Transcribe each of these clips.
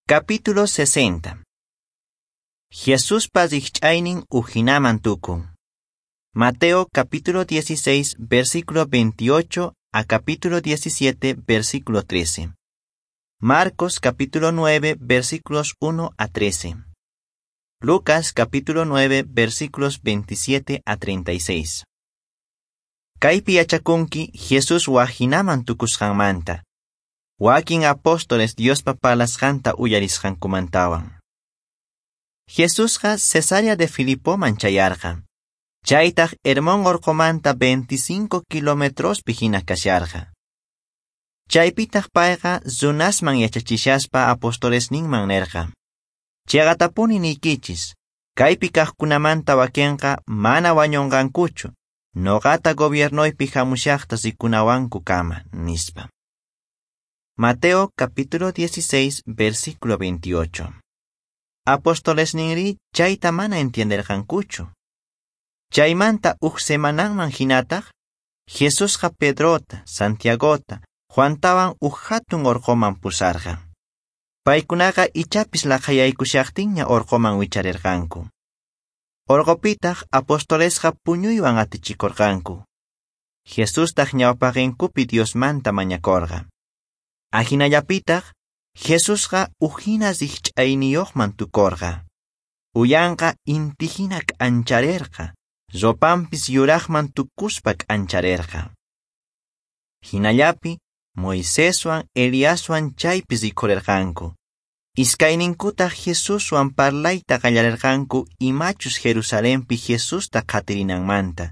Capítulo 60. Jesuspa rikch'aynin ujinaman tukun. Mateo capítulo 16, versículo 28 a capítulo 17, versículo 13. Marcos capítulo 9, versículos 1 a 13. Lucas capítulo 9, versículos 27 a 36. Kaypi yachakunki Jesús wajinaman tukusqanmanta. Wakin apóstoles Diospa parlasqanta uyarisqankumantawan. Jesusqa Cesarea de Filipoman chayarqa. Chaytaq Hermón orqomanta 25 kilometrospi hina kasharqa. Chaypitaq payqa runasman yachachishaspa apostolesninman nerqa: "Chiqatapuni niykichis, kaypi kaqkunamanta wakinqa mana wañunqankuchu, noqata gobiernoypi hamushaqta rikunawankukama", nispa. Mateo capítulo 16, versículo 28. Apostolesninri chayta mana entienderqankuchu. Chaymanta uj semananman hinataq, Jesusqa Pedrota, Santiagota, Juantawan uj hatun orqoman pusarqa. Paykunaqa ichapis laqhayaykushaqtinña orqoman wicharirqanku. Orqopitaq apostolesqa puñuywan atichikurqanku. Jesustaq ñawpaqinkupi Diosmanta mañakurqa. Ahinallapitaq, Jesusqa ujina rikch'ayniyuqman tukurqa. Uyanqa intihina k'ancharerqa, ropanpis yuraqman tukuspa k'ancharerqa. Hinallapi, Moiseswan Eliaswan chaypi rikhurerqanku. Iskayninkutaq Jesuswan parlayta qallarerqanku imachus Jerusalenpi Jesusta qhatirinanmanta,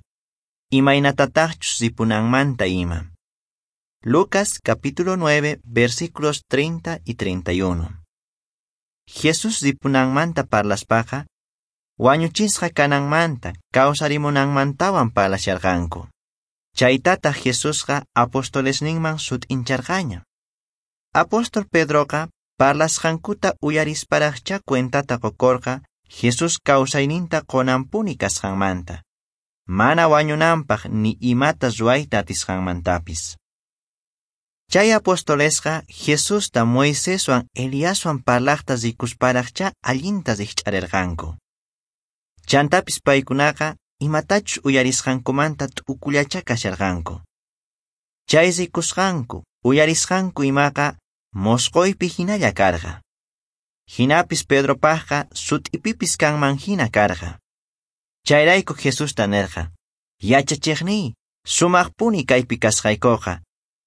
imaynatataqchus ripunanmanta ima. Lucas capítulo 9, versículos 30 y 31. Jesús ripunanmanta parlaspaqa, wañuchisqa kananmanta, kawsarimunanmantawan parlasharqanku. Chaytataq Jesusqa apostolesninman sut'incharqaña. Apóstol Pedroqa parlasqankuta uyarisparaqchá cuentata qukurqa Jesús kawsayninta qunanpuni kasqanmanta, mana wañunanpaq ni imata ruwayta atisqanmantapis. Chay apostolesqa Jesusta Moiseswan Eliaswan parlaqta rikusparaqchá allinta rikch'arirqanku. Chantapis paykunaqa imatachus uyarisqankumanta t'ukullachá kasharqanku. Chay rikusqanku, uyarisqanku imaqa mosqoypi hinalla karqa. Hinapis Pedropaqqa sut'ipipis kanman hina karqa. Chayrayku Jesusta nerqa: "Yachachiqniy, sumaqpuni kaypi kasqaykuqa.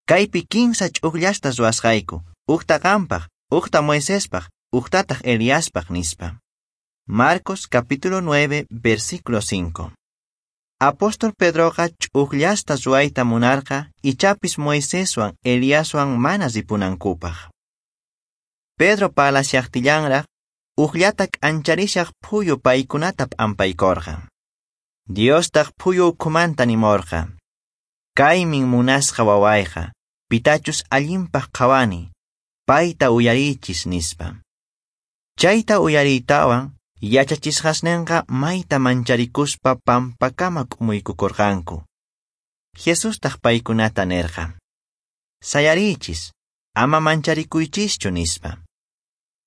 Kaypi kinsa ch'ukllasta ruwasqayku, uqta qampaq, uqta Moisespaq, uqtataq Eliaspaq", nispa. Marcos capítulo 9, versículo 5. Apóstol Pedroqa ch'ukllasta ruwayta munarqa ichapis Moiseswan Eliaswan mana ripunankupaq. Pedro parlashaqtillanraq uqllata k'ancharishaq phuyu paykunata p'ampaykurqa. Diostaq phuyu ukhumanta nimurqa: "Kaymin munasqa wawayqa, pitachus allinpaq qhawani, payta uyarichis", nispa. Chayta uyariytawan yachachisqasninqa mayta mancharikuspa pampakama k'umuykukurqanku. Jesustaq paykunata nerqa: "Sayarichis, ama mancharikuychischu", nispa.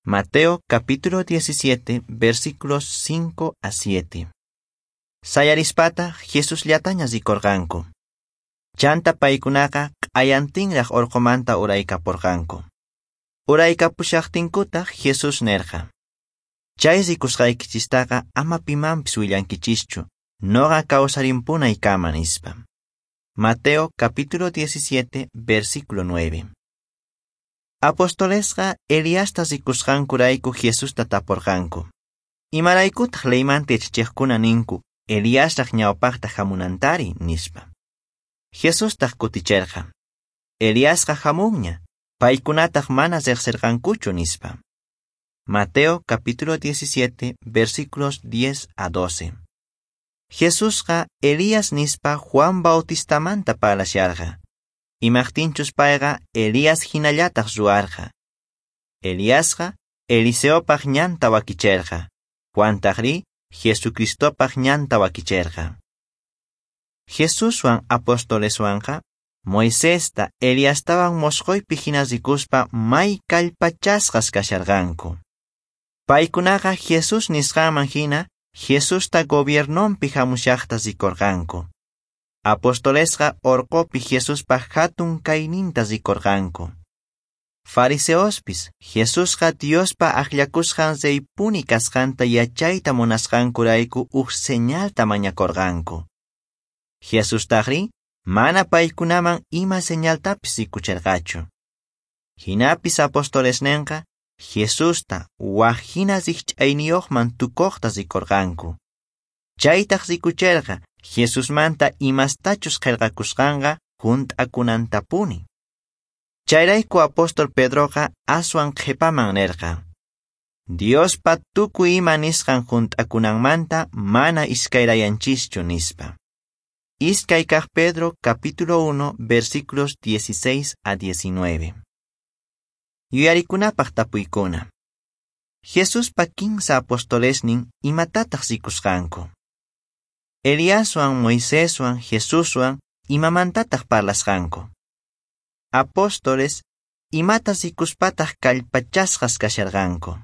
Mateo capítulo 17, versículos 5 a 7. Sayarispata Jesusllataña rikurqanku. Chanta paykunaqa q'ayantinraq orqomanta uraykapurqanku. Uraykapushaqtinkutaq Jesús nerqa: "Chay rikusqaykichistaqa ama pimanpis willankichischu, noqa kawsarimpunaykama", nispa. Mateo capítulo 17, versículo 9. Apostolesqa Eliasta rikusqankurayku Jesusta tapurqanku: "Imaraykutaq leymanta yachachiqkuna ninku Eliasraq ñawpaqta hamunantari?" nispa. Jesustaq kuticherqa: "Eliasqa hamunña, paykunataq mana riqsirqankuchu", nispa. Mateo capítulo 17, versículos 10 a 12. Jesusqa Elías nispa Juan Bautistamanta parlasharqa. Imaqtinchus payqa Elías hinallataq ruwarqa. Eliasqa Eliseopaq ñanta wakicherqa. Juantaqri Jesucristopaq ñanta wakicherqa. Jesuswan apostoleswanqa Moisesta, Eliastawan mosqoypi hina rikuspa may kallpachasqas kasharqanku. Paykunaqa Jesús nisqanman hina Jesusta gobiernonpi hamushaqta rikurqanku. Apostolesqa orqopi Jesuspa hatun kayninta rikurqanku. Fariseospis Jesusqa Diospa akllakusqan reypuni kasqanta yachayta munasqankurayku uj señalta mañakurqanku. Jesustaqri mana paykunaman ima señaltapis rikucherqachu. Hinapis apostolesninqa Jesusta waj hina rikch'ayniyuqman tukuqta rikurqanku. Chaytaq rikucherqa Jesusmanta imastachus qillqakusqanqa hunt'akunantapuni. Chayrayku apóstol Pedroqa aswan qhipaman nirqa: Diospa tukuy ima nisqan hunt'akunanmanta mana iskayrayanchischu nispa. Iskay kaq Pedro capítulo 1 versículos 16 a 19. Yuyarikunapaq tapuykuna. Jesuspa kinsa apostolesnin imatataq rikusqanku. Eliaswan, Moiseswan, Jesuswan imamantataq parlasqanku. Apóstoles imata rikuspataq kallpachasqas kasharqanku.